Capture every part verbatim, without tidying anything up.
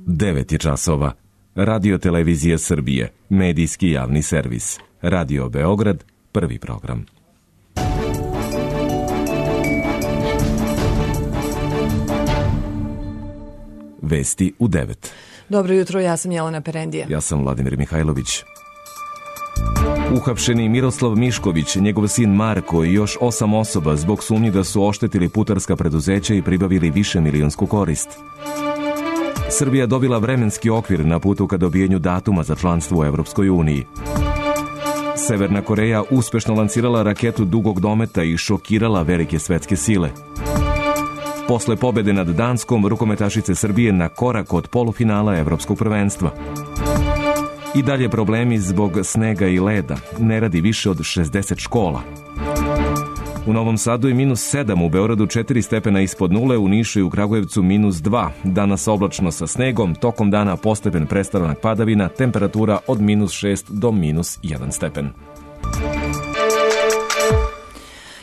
devet je časova. Radio Televizija Srbije, medijski javni servis. Radio Beograd, prvi program. Vesti u devet. Dobro jutro, ja sam Jelena Perendija. Ja sam Vladimir Mihajlović. Uhapšeni Miroslav Mišković, njegov sin Marko i još osam osoba zbog sumnji da su oštetili putarska preduzeća i pribavili više milionsku korist. Srbija dobila vremenski okvir na putu ka dobijenju datuma za članstvo u Evropskoj uniji. Severna Koreja uspešno lansirala raketu dugog dometa i šokirala velike svetske sile. Posle pobede nad Danskom, rukometašice Srbije na korak od polufinala Evropskog prvenstva. I dalje problemi zbog snega i leda. Ne radi više od šezdeset škola. U Novom Sadu je minus sedam, u Beogradu četiri stepena ispod nule, u Nišu i u Kragujevcu minus dva. Danas oblačno sa snegom, tokom dana postepen prestanak padavina, temperatura od minus šest do minus jedan stepen.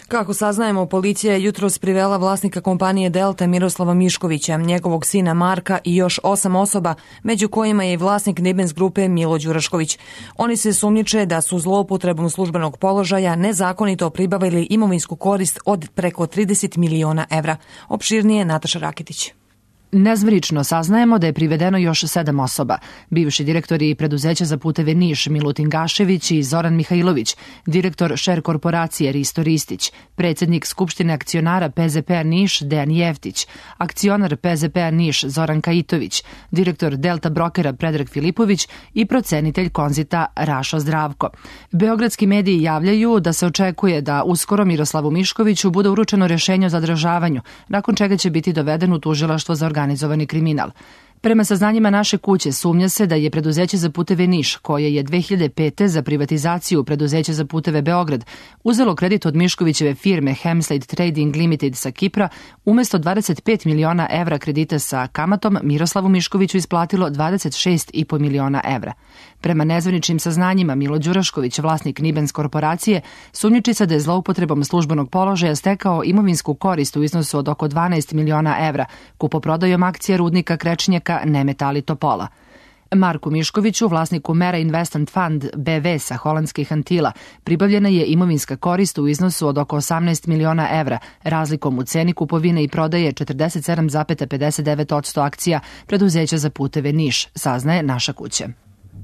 Kako saznajemo, policija je jutros privela vlasnika kompanije Delta Miroslava Miškovića, njegovog sina Marka i još osam osoba, među kojima je i vlasnik Nibens grupe Milo Đurašković. Oni se sumnjiče da su zloupotrebom službenog položaja nezakonito pribavili imovinsku korist od preko trideset miliona evra. Opširnije Nataša Rakitić. Nezvrično saznajemo da je privedeno još sedam osoba. Bivši direktori preduzeća za puteve Niš Milutin Gašević i Zoran Mihajlović, direktor Šer korporacije Risto Ristić, predsjednik Skupštine akcionara P Z P-a Niš Dejan Jeftić, akcionar P Z P-a Niš Zoran Kajitović, direktor Delta Brokera Predrag Filipović i procenitelj Konzita Rašo Zdravko. Beogradski mediji javljaju da se očekuje da uskoro Miroslavu Miškoviću bude uručeno rješenje o zadržavanju, nakon čega će biti doveden u tužilaštvo za organizovani kriminal. Prema saznanjima naše kuće sumnja se da je preduzeće za puteve Niš, koje je dve hiljade pete za privatizaciju preduzeća za puteve Beograd, uzelo kredit od Miškovićeve firme Hemslade Trading Limited sa Kipra, umjesto dvadeset pet miliona evra kredita sa kamatom, Miroslavu Miškoviću isplatilo dvadeset šest i po miliona evra. Prema nezvaničnim saznanjima, Milo Đurašković, vlasnik Nibens korporacije, sumnjiči se da je zloupotrebom službenog položaja stekao imovinsku korist u iznosu od oko dvanaest miliona evra, kupoprodajom akcija rudnika Krečnjaka Nemetali Topola. Marku Miškoviću, vlasniku Mera Investment Fund B V sa holandskih Antila, pribavljena je imovinska korist u iznosu od oko osamnaest miliona evra, razlikom u ceni kupovine i prodaje četrdeset sedam zarez pedeset devet posto akcija preduzeća za puteve Niš, saznaje naša kuća.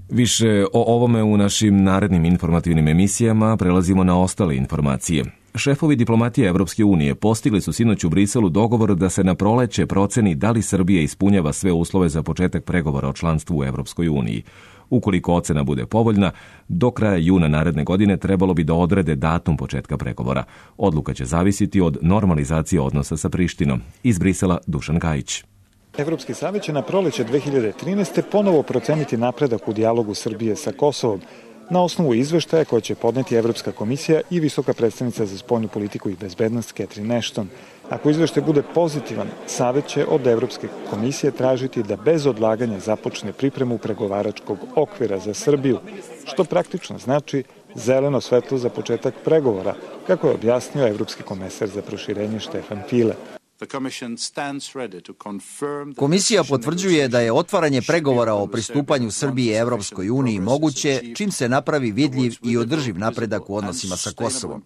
Više o ovome u našim narednim informativnim emisijama. Prelazimo na ostale informacije. Šefovi diplomatije Evropske unije postigli su sinoć u Briselu dogovor da se na proleće proceni da li Srbija ispunjava sve uslove za početak pregovora o članstvu u Evropskoj uniji. Ukoliko ocena bude povoljna, do kraja juna naredne godine trebalo bi da odrede datum početka pregovora. Odluka će zavisiti od normalizacije odnosa sa Prištinom. Iz Brisela Dušan Gajić. Evropski savjet će na proleće dve hiljade trinaeste. ponovo proceniti napredak u dijalogu Srbije sa Kosovom na osnovu izveštaja koje će podneti Evropska komisija i visoka predstavnica za spoljnu politiku i bezbednost Catherine Ashton. Ako izveštaj bude pozitivan, savjet će od Evropske komisije tražiti da bez odlaganja započne pripremu pregovaračkog okvira za Srbiju, što praktično znači zeleno svetlo za početak pregovora, kako je objasnio Evropski komesar za proširenje Štefan File. Komisija potvrđuje da je otvaranje pregovora o pristupanju Srbije Evropskoj uniji moguće čim se napravi vidljiv i održiv napredak u odnosima sa Kosovom.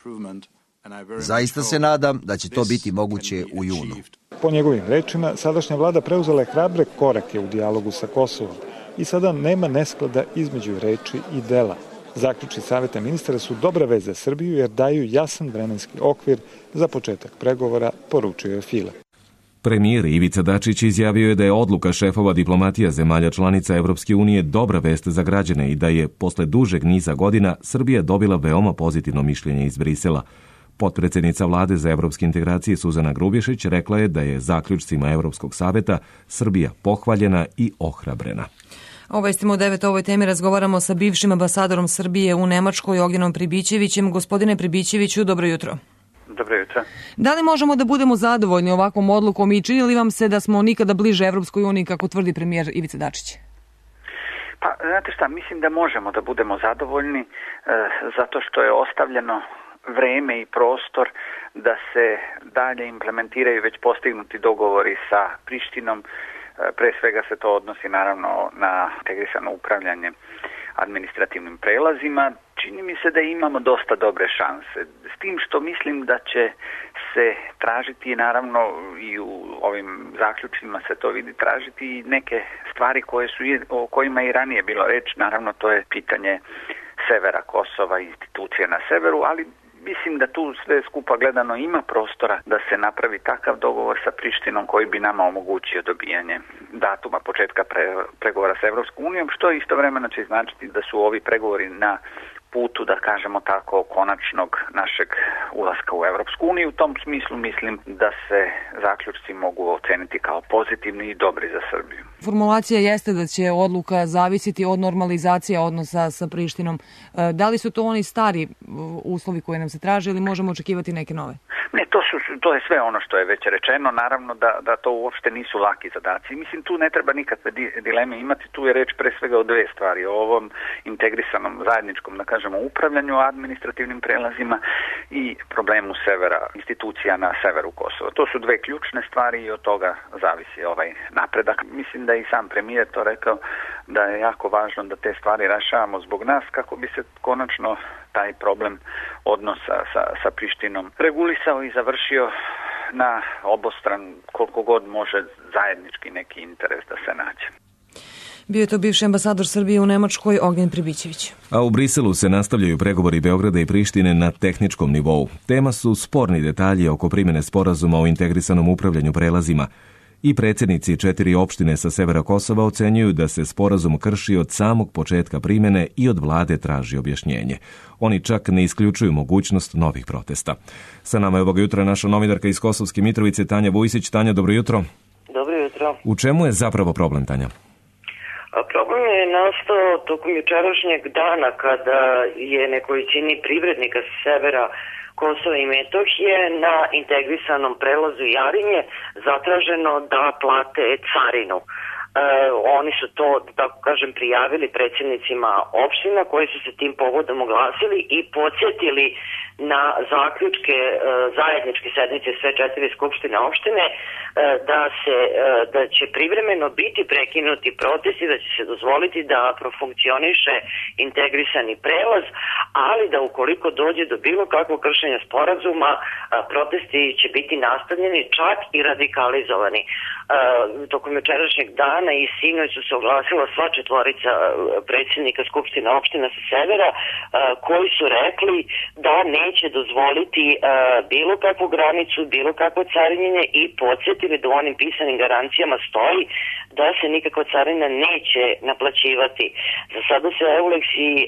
Zaista se nadam da će to biti moguće u junu. Po njegovim rečima, sadašnja vlada preuzela je hrabre korake u dijalogu sa Kosovom i sada nema nesklada između reči i dela. Zaključci savjeta ministara su dobra vez za Srbiju jer daju jasan vremenski okvir za početak pregovora, poručio je File. Premijer Ivica Dačić izjavio je da je odluka šefova diplomatija zemalja članica Evropske unije dobra vest za građane i da je posle dužeg niza godina Srbija dobila veoma pozitivno mišljenje iz Brisela. Potpredsjednica vlade za evropske integracije Suzana Grubješić rekla je da je zaključcima Evropskog savjeta Srbija pohvaljena i ohrabrena. Obavestimo u devet o ovoj temi razgovaramo sa bivšim ambasadorom Srbije u Nemačkoj Ognenom Pribićevićem. Gospodine Pribićeviću, dobro jutro. Dobro jutro. Da li možemo da budemo zadovoljni ovakvom odlukom i čini li vam se da smo nikada bliže Evropskoj uniji, kako tvrdi premijer Ivica Dačić? Pa, znate šta, mislim da možemo da budemo zadovoljni e, zato što je ostavljeno vreme i prostor da se dalje implementiraju već postignuti dogovori sa Prištinom, Pre svega se to odnosi naravno na integrisano upravljanje administrativnim prelazima. Čini mi se da imamo dosta dobre šanse. S tim što mislim da će se tražiti, naravno i u ovim zaključcima se to vidi, tražiti neke stvari koje su, o kojima i ranije bilo reč. Naravno, to je pitanje severa Kosova, institucije na severu, ali mislim da tu sve skupa gledano ima prostora da se napravi takav dogovor sa Prištinom koji bi nama omogućio dobijanje datuma početka pre, pregovora sa Evropskom unijom, što istovremeno će značiti da su ovi pregovori na putu, da kažemo tako, konačnog našeg ulaska u Evropsku uniju. U tom smislu mislim da se zaključci mogu oceniti kao pozitivni i dobri za Srbiju. Formulacija jeste da će odluka zavisiti od normalizacije odnosa sa Prištinom. Da li su to oni stari uslovi koji nam se traže ili možemo očekivati neke nove? Ne, to, su, to je sve ono što je već rečeno. Naravno da, da to uopšte nisu laki zadaci. Mislim, tu ne treba nikakve dileme imati. Tu je reč pre svega o dve stvari. O ovom integrisanom zajedničkom, da kažemo, upravljanju administrativnim prelazima i problemu severa, institucija na severu Kosova. To su dve ključne stvari i od toga zavisi ovaj napredak. Mislim da je i sam premijer to rekao da je jako važno da te stvari rešavamo zbog nas kako bi se konačno taj problem odnosa sa, sa Prištinom regulisao i završio na obostran koliko god može zajednički neki interes da se nađe. Bio je to bivši ambasador Srbije u Nemačkoj Ognjen Pribićević. A u Briselu se nastavljaju pregovori Beograda i Prištine na tehničkom nivou. Tema su sporni detalji oko primjene sporazuma o integrisanom upravljanju prelazima. I predsjednici četiri opštine sa severa Kosova ocenjuju da se sporazum krši od samog početka primjene i od vlade traži objašnjenje. Oni čak ne isključuju mogućnost novih protesta. Sa nama je ovoga jutra naša novinarka iz Kosovske Mitrovice Tanja Vujsić. Tanja, dobro jutro. Dobro jutro. U čemu je zapravo problem, Tanja? Problem je nastao tokom jučerašnjeg dana kada je nekolicini privrednika sa severa Kosova i Metohije na integrisanom prelazu Jarinje zatraženo da plate carinu. E, oni su to, tako kažem, prijavili predsjednicima opština koji su se tim povodom oglasili i podsjetili na zaključke e, zajedničke sednice sve četiri skupštine opštine e, da se e, da će privremeno biti prekinuti protesti, da će se dozvoliti da profunkcioniše integrisani prelaz, ali da ukoliko dođe do bilo kakvog kršenja sporazuma, a, protesti će biti nastavljeni, čak i radikalizovani. E, tokom jučerašnjeg dana i sinoć su se oglasila sva četvorica predsjednika skupštine opština sa severa a, koji su rekli da neće dozvoliti a, bilo kakvu granicu, bilo kakvo carinjenje i podsjetili da u onim pisanim garancijama stoji da se nikakva carina neće naplaćivati. Za sada se Euleks i a,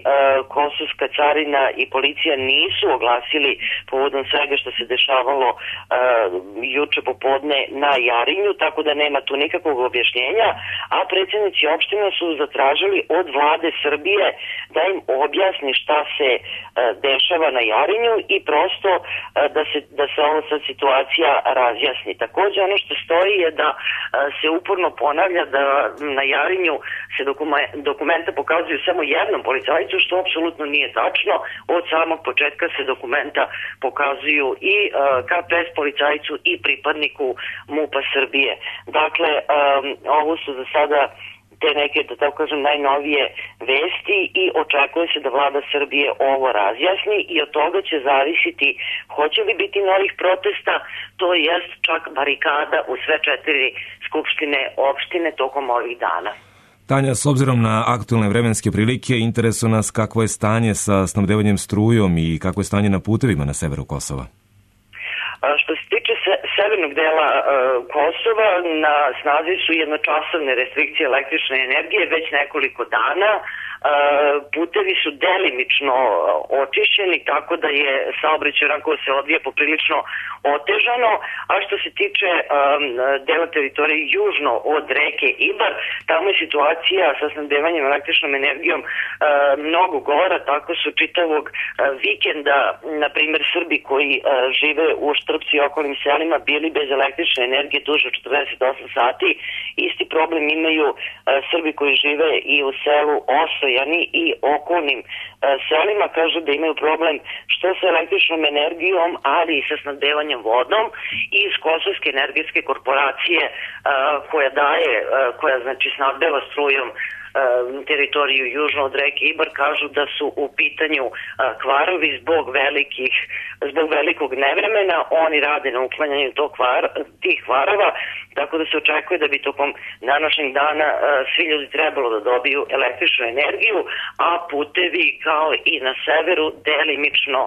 kosovska carina i policija nisu oglasili povodom svega što se dešavalo a, juče popodne na Jarinju, tako da nema tu nikakvog objašnjenja, a predsjednici opština su zatražili od vlade Srbije da im objasni šta se a, dešava na Jarinju i prosto a, da se, da se ova sad situacija razjasni. Također ono što stoji je da a, se uporno ponavlja da na Jarinju se dokume, dokumenta pokazuju samo jednom policajcu, što apsolutno nije tačno. Od samog početka se dokumenta pokazuju i uh, ka pe es policajcu i pripadniku MUP-a Srbije. Dakle, um, ovo su za sada te neke, da tako kažem, najnovije vesti i očekuje se da vlada Srbije ovo razjasni i od toga će zavisiti hoće li biti novih protesta, to jest čak barikada u sve četiri skupštine opštine tokom ovih dana. Tanja, s obzirom na aktualne vremenske prilike, interesuje nas kakvo je stanje sa snabdevanjem strujom i kakvo je stanje na putevima na severu Kosova. Što se tiče se, severnog dela uh, Kosova, na snazi su jednočasovne restrikcije električne energije već nekoliko dana. Uh, putevi su delimično očišćeni, tako da je saobraćaj onako se odvija poprilično otežano, a što se tiče um, dela teritorije južno od reke Ibar, tamo je situacija sa snabdevanjem električnom energijom uh, mnogo gora, tako su čitavog uh, vikenda, na primjer Srbi koji uh, žive u Štrpcu Vrpcu i okolnim selima bili bez električne energije duže od četrdeset osam sati. Isti problem imaju uh, Srbi koji žive i u selu Osojani i okolnim uh, selima. Kažu da imaju problem što sa električnom energijom, ali i sa snabdevanjem vodom. I iz Kosovske energetske korporacije uh, koja daje, uh, koja znači snabdeva strujom teritoriju južno od reke Ibar, kažu da su u pitanju kvarovi zbog velikih, zbog velikog nevremena. Oni rade na uklanjanju tog kvar, tih kvarova, tako da se očekuje da bi tokom današnjeg dana svi ljudi trebalo da dobiju električnu energiju, a putevi kao i na severu delimično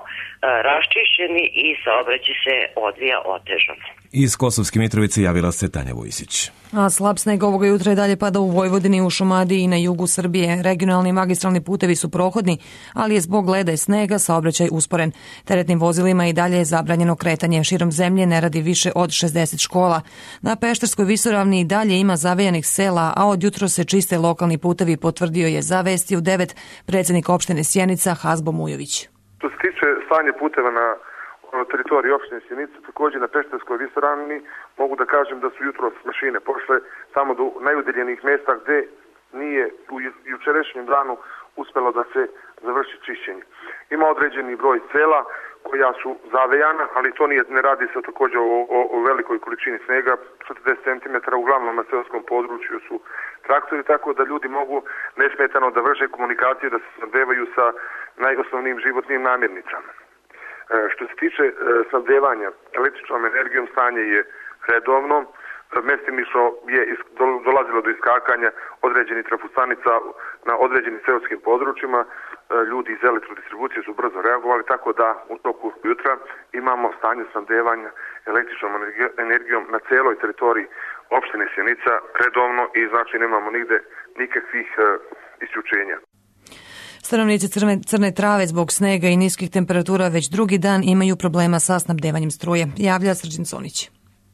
raščišćeni i saobraćaj se odvija otežano. Iz Kosovske Mitrovice javila se Tanja Vujsić. A slab sneg ovoga jutra i dalje pada u Vojvodini, u Šumadiji i na jugu Srbije. Regionalni magistralni putevi su prohodni, ali je zbog leda i snega saobraćaj usporen. Teretnim vozilima i dalje je zabranjeno kretanje. Širom zemlje ne radi više od šezdeset škola. Na Pešterskoj visoravni i dalje ima zavejanih sela, a od jutro se čiste lokalni putevi, potvrdio je za Vesti u devet predsjednik opštine Sjenica Hazbo Mujović. Što se tiče stanja puteva na na teritoriji opštine Sjenica, također na Pešterskoj visoravni, mogu da kažem da su jutros mašine pošle samo do najudaljenijih mjesta gdje nije u jučerašnjem danu uspjelo da se završi čišćenje. Ima određeni broj sela koja su zavejana, ali to nije, ne radi se također o, o, o velikoj količini snega, četrdeset centimetara, uglavnom na seoskom području su traktori, tako da ljudi mogu nesmetano da vrše komunikaciju, da se snabdevaju sa najosnovnijim životnim namirnicama. Što se tiče snabdevanja električnom energijom, stanje je redovno. Mestimično je dolazilo do iskakanja određenih trafostanica na određenim seoskim područjima. Ljudi iz elektrodistribucije su brzo reagovali, tako da u toku jutra imamo stanje snabdevanja električnom energijom na cijeloj teritoriji opštine Sjenica redovno i znači nemamo nigde nikakvih isključenja. Stanovnici Crne, Crne Trave zbog snega i niskih temperatura već drugi dan imaju problema sa snabdevanjem struje. Javlja Srđan Sonić.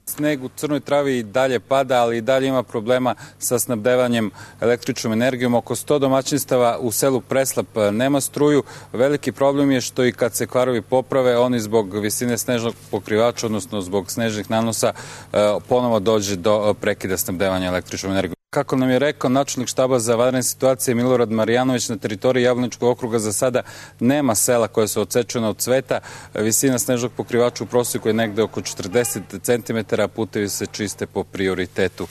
Sneg u Crnoj Travi i dalje pada, ali i dalje ima problema sa snabdevanjem električnom energijom. Oko sto domaćinstava u selu Preslap nema struju. Veliki problem je što i kad se kvarovi poprave, oni zbog visine snežnog pokrivača, odnosno zbog snežnih nanosa, ponovo dođe do prekida snabdevanja električnom energijom. Kako nam je rekao načelnik štaba za vanredne situacije Milorad Marjanović, na teritoriji Jablaničkog okruga za sada nema sela koje su odsečene od cveta. Visina snežnog pokrivača u prosjeku je negde oko četrdeset centimetara, putevi se čiste po prioritetu.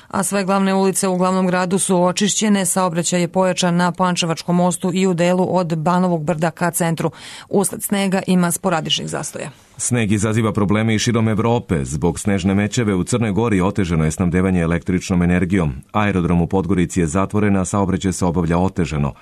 A sve glavne ulice u glavnom gradu su očišćene, saobraćaj je pojačan na Pančevačkom mostu i u delu od Banovog brda ka centru. Usled snega ima sporadičnih zastoja. Sneg izaziva probleme i širom Evrope. Zbog snežne mećave u Crnoj Gori otežano je snabdevanje električnom energijom. Aerodrom u Podgorici je zatvoren, a saobraćaj se obavlja otežano.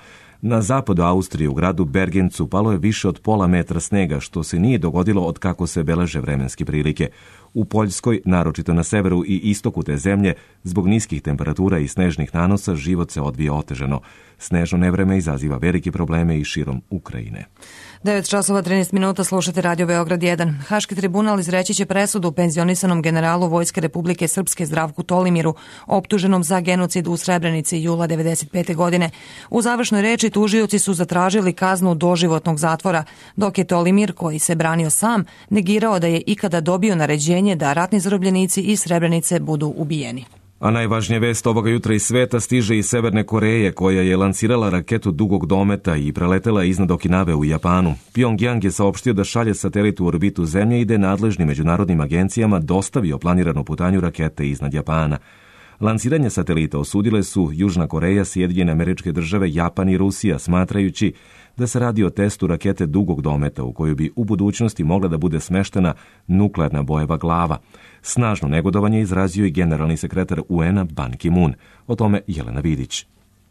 Na zapadu Austrije u gradu Bergencu palo je više od pola metra snega, što se nije dogodilo od kako se beleže vremenske prilike. U Poljskoj, naročito na severu i istoku te zemlje, zbog niskih temperatura i snežnih nanosa, život se odvija otežano. Snežno nevreme izaziva velike probleme i širom Ukrajine. devet časova trinaest minuta, slušate Radio Beograd jedan. Haški tribunal izreći će presudu penzionisanom generalu Vojske Republike Srpske Zdravku Tolimiru, optuženom za genocid u Srebrenici jula devedeset pete. godine. U završnoj reči tužioci su zatražili kaznu doživotnog zatvora, dok je Tolimir, koji se branio sam, negirao da je ikada dobio naređenje da ratni zarobljenici iz Srebrenice budu ubijeni. A najvažnija vest ovoga jutra iz sveta stiže iz Severne Koreje, koja je lansirala raketu dugog dometa i preletela iznad Okinave u Japanu. Pyongyang je saopštio da šalje satelit u orbitu Zemlje i da je nadležnim međunarodnim agencijama dostavio planiranu putanju rakete iznad Japana. Lansiranje satelita osudile su Južna Koreja, Sjedinjene Američke Države, Japan i Rusija, smatrajući da se radi o testu rakete dugog dometa u koju bi u budućnosti mogla da bude smeštena nuklearna bojeva glava. Snažno negodovanje izrazio i generalni sekretar U N-a Ban Ki-moon. O tome Jelena Vidić.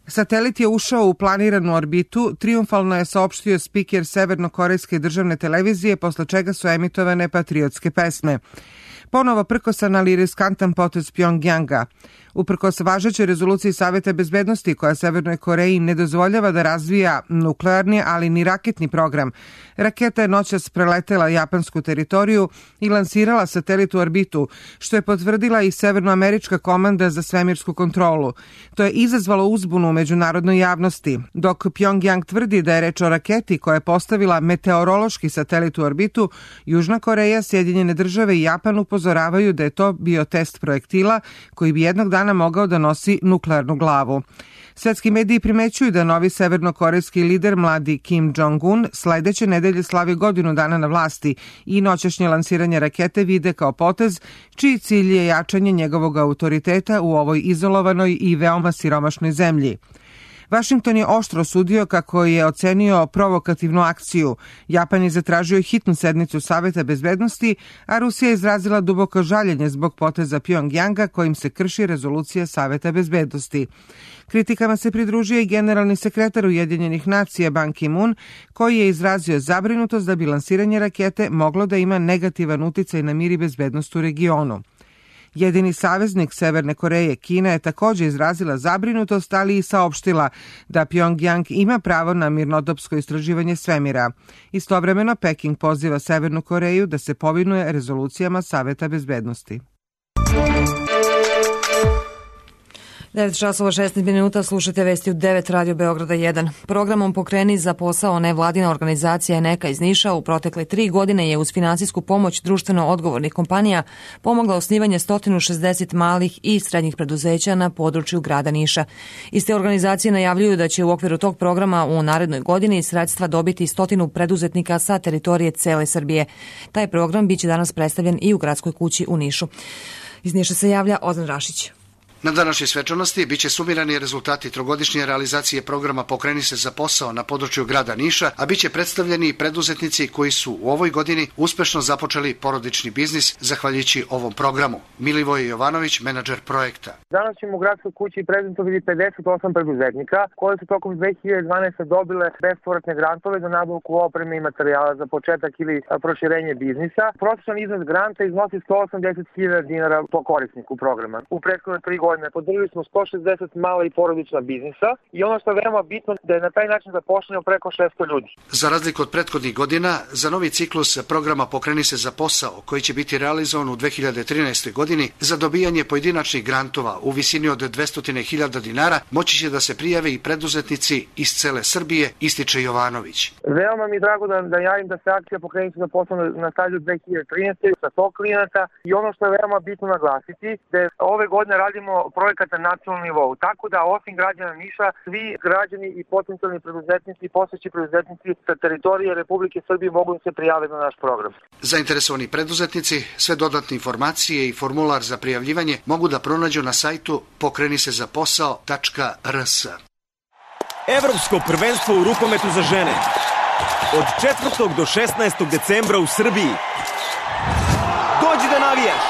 Satelit je ušao u planiranu orbitu, trijumfalno je saopštio spiker Severnokorejske državne televizije, posle čega su emitovane patriotske pesme. Ponovo prkosan, ali riskantan potez Pyongyanga. Uprkos važećoj rezoluciji Saveta bezbednosti koja Severnoj Koreji ne dozvoljava da razvija nuklearni, ali ni raketni program, raketa je noćas preletela japansku teritoriju i lansirala satelit u orbitu, što je potvrdila i Severnoamerička komanda za svemirsku kontrolu. To je izazvalo uzbunu u međunarodnoj javnosti, dok Pjongjang tvrdi da je reč o raketi koja je postavila meteorološki satelit u orbitu. Južna Koreja, Sjedinjene države i Japan upozoravaju da je to bio test projektila koji bi jednog dana mogao da nosi nuklearnu glavu. Svetski mediji primećuju da novi severnokorejski lider, mladi Kim Jong-un, sledeće nedelje slavi godinu dana na vlasti i noćašnje lansiranje rakete vide kao potez čiji cilj je jačanje njegovog autoriteta u ovoj izolovanoj i veoma siromašnoj zemlji. Vašington je oštro osudio kako je ocenio provokativnu akciju. Japan je zatražio hitnu sednicu Saveta bezbednosti, a Rusija je izrazila duboko žaljenje zbog poteza Pjongjanga kojim se krši rezolucija Saveta bezbednosti. Kritikama se pridružio i generalni sekretar Ujedinjenih nacija Ban Ki-moon, koji je izrazio zabrinutost da bi lansiranje rakete moglo da ima negativan uticaj na mir i bezbednost u regionu. Jedini saveznik Severne Koreje, Kina, je također izrazila zabrinutost, ali i saopštila da Pjongjang ima pravo na mirnodopsko istraživanje svemira. Istovremeno, Peking poziva Severnu Koreju da se povinuje rezolucijama Saveta bezbednosti. devet časova šesnaest minuta, slušajte vesti u devet Radio Beograda jedan. Programom Pokreni za posao nevladina organizacija Eneka iz Niša u protekle tri godine je uz finansijsku pomoć društveno odgovornih kompanija pomogla osnivanje sto šezdeset malih i srednjih preduzeća na području grada Niša. Iste organizacije najavljuju da će u okviru tog programa u narednoj godini sredstva dobiti stotinu preduzetnika sa teritorije cele Srbije. Taj program biće danas predstavljen i u gradskoj kući u Nišu. Iz Niša se javlja Ozan Rašić. Na današnjoj svečanosti biće sumirani rezultati trogodišnje realizacije programa Pokreni se za posao na području grada Niša, a biće predstavljeni i preduzetnici koji su u ovoj godini uspešno započeli porodični biznis zahvaljujući ovom programu. Milivoj Jovanović, menadžer projekta. Danas ćemo u gradskoj kući prezentovati pedeset osam preduzetnika koji su tokom dve hiljade dvanaeste. dobile bespovratne grantove za nabavku opreme i materijala za početak ili proširenje biznisa. Prosječan iznos granta iznosi sto osamdeset hiljada dinara po korisniku programa. U prethodne tri godine podržali smo sto šezdeset mala i porodična biznisa i ono što je veoma bitno da je na taj način zaposleno preko šesto ljudi. Za razliku od prethodnih godina, za novi ciklus programa Pokreni se za posao, koji će biti realizovan u dve hiljade trinaestoj. godini, za dobijanje pojedinačnih grantova u visini od dvesta hiljada dinara, moći će da se prijave i preduzetnici iz cele Srbije, ističe Jovanović. Veoma mi je drago da, da javim da se akcija Pokreni se za posao nastavlja u dve hiljade trinaestoj. sa sto klijenata i ono što je veoma bitno naglasiti, da ove godine radimo projekat na nacionalnom nivou. Tako da osim građana Niša, svi građani i potencijalni preduzetnici i postojeći preduzetnici sa teritorije Republike Srbije mogu se prijaviti na naš program. Zainteresovani preduzetnici sve dodatne informacije i formular za prijavljivanje mogu da pronađu na sajtu pokreni se za posao tačka r s. Evropsko prvenstvo u rukometu za žene. Od četvrtog do šesnaestog decembra u Srbiji. Dođi da navijaš!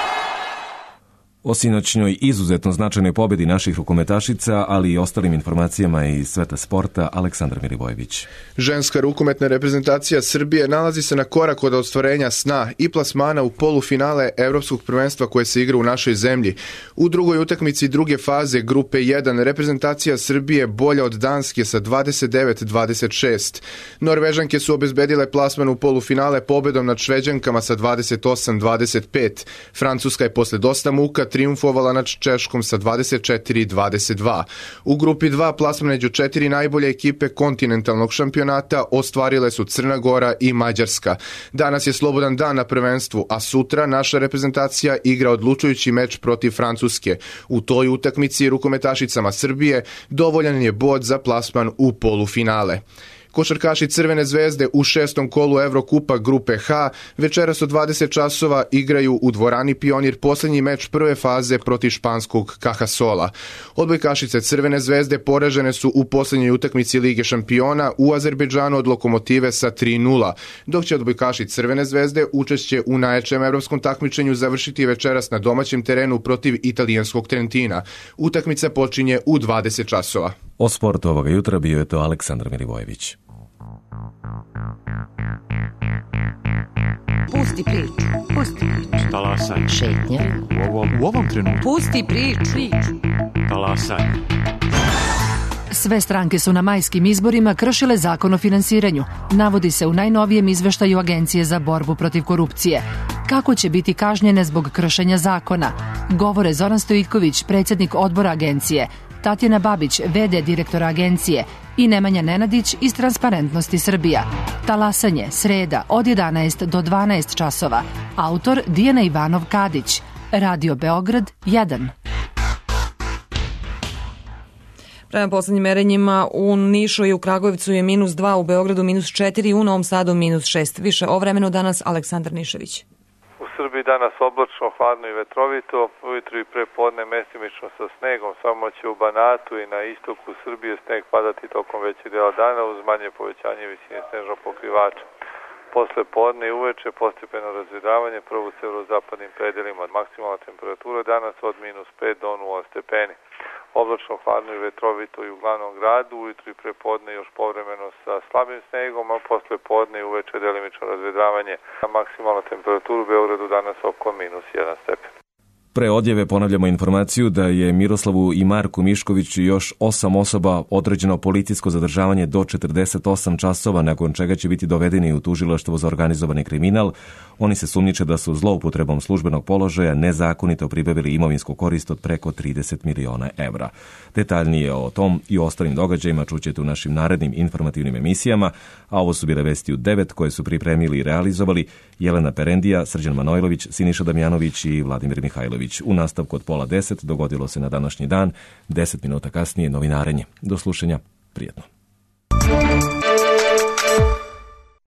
O sinoćnjoj izuzetno značajnoj pobedi naših rukometašica, ali i ostalim informacijama iz sveta sporta, Aleksandar Milivojević. Ženska rukometna reprezentacija Srbije nalazi se na korak od ostvarenja sna i plasmana u polufinale Evropskog prvenstva koje se igra u našoj zemlji. U drugoj utakmici druge faze grupe jedan reprezentacija Srbije bolja od Danske sa dvadeset devet dvadeset šest. Norvežanke su obezbedile plasman u polufinale pobedom nad Šveđankama sa dvadeset osam dvadeset pet. Francuska je posle dosta muka triumfovala nad Češkom sa dvadeset četiri dvadeset dva. U grupi dva plasman među četiri najbolje ekipe kontinentalnog šampionata ostvarile su Crna Gora i Mađarska. Danas je slobodan dan na prvenstvu, a sutra naša reprezentacija igra odlučujući meč protiv Francuske. U toj utakmici rukometašicama Srbije dovoljan je bod za plasman u polufinale. Košarkaši Crvene zvezde u šestom kolu Evrokupa grupe H večeras od dvadeset časova igraju u dvorani Pionir posljednji meč prve faze protiv španskog Cajasola. Odbojkašice Crvene zvezde poražene su u posljednjoj utakmici Lige šampiona u Azerbejdžanu od Lokomotive sa tri nula, dok će odbojkaši Crvene zvezde učešće u najjačem evropskom takmičenju završiti večeras na domaćem terenu protiv italijanskog Trentina. Utakmica počinje u dvadeset časova. O sportu ovoga jutra bio je to Aleksandar Milivojević. Pusti priču, pusti priču. Talasaj. Šetnja. U ovom, u ovom trenutku. Pusti priču. priču. Talasaj. Sve stranke su na majskim izborima kršile zakon o finansiranju, navodi se u najnovijem izveštaju Agencije za borbu protiv korupcije. Kako će biti kažnjene zbog kršenja zakona? Govore Zoran Stojiković, predsjednik odbora agencije, Tatjana Babić, ve de direktora agencije i Nemanja Nenadić iz Transparentnosti Srbija. Talasanje, sreda, od jedanaest do dvanaest časova. Autor Dijana Ivanov Kadić. Radio Beograd jedan. Prema poslednjim merenjima u Nišu i u Kragujevcu je minus dva, u Beogradu minus četiri, u Novom Sadu minus šest. Više o vremenu danas Aleksandar Nišević. U Srbiji danas oblačno, hladno i vetrovito, ujutru i pre podne mestimično sa snegom, samo će u Banatu i na istoku Srbije sneg padati tokom većeg dela dana uz manje povećanje visine snežnog pokrivača. Posle podne i uveče postepeno razvedravanje, prvo u severozapadnim predelima. Maksimalna temperatura danas od minus pet do nula stepeni. Oblačno, hladno i vetrovito i u glavnom gradu, ujutru i pre podne još povremeno sa slabim snegom, a posle podne i uveče delimično razvedravanje. Maksimalna temperatura u Beogradu danas oko minus jedan stepen. Pre odjave ponavljamo informaciju da je Miroslavu i Marku Miškoviću još osam osoba određeno policijsko zadržavanje do četrdeset osam časova, nakon čega će biti dovedeni u tužilaštvo za organizovani kriminal. Oni se sumnjiče da su zloupotrebom službenog položaja nezakonito pribavili imovinsku korist od preko trideset miliona evra. Detaljnije o tom i ostalim događajima čućete u našim narednim informativnim emisijama, a ovo su bile vesti u devet koje su pripremili i realizovali Jelena Perendija, Srđan Manojlović, Siniša Damjanović i Vladimir Mihajlović. U nastavku od pola deset dogodilo se na današnji dan, deset minuta kasnije novinarenje. Do slušanja, prijetno.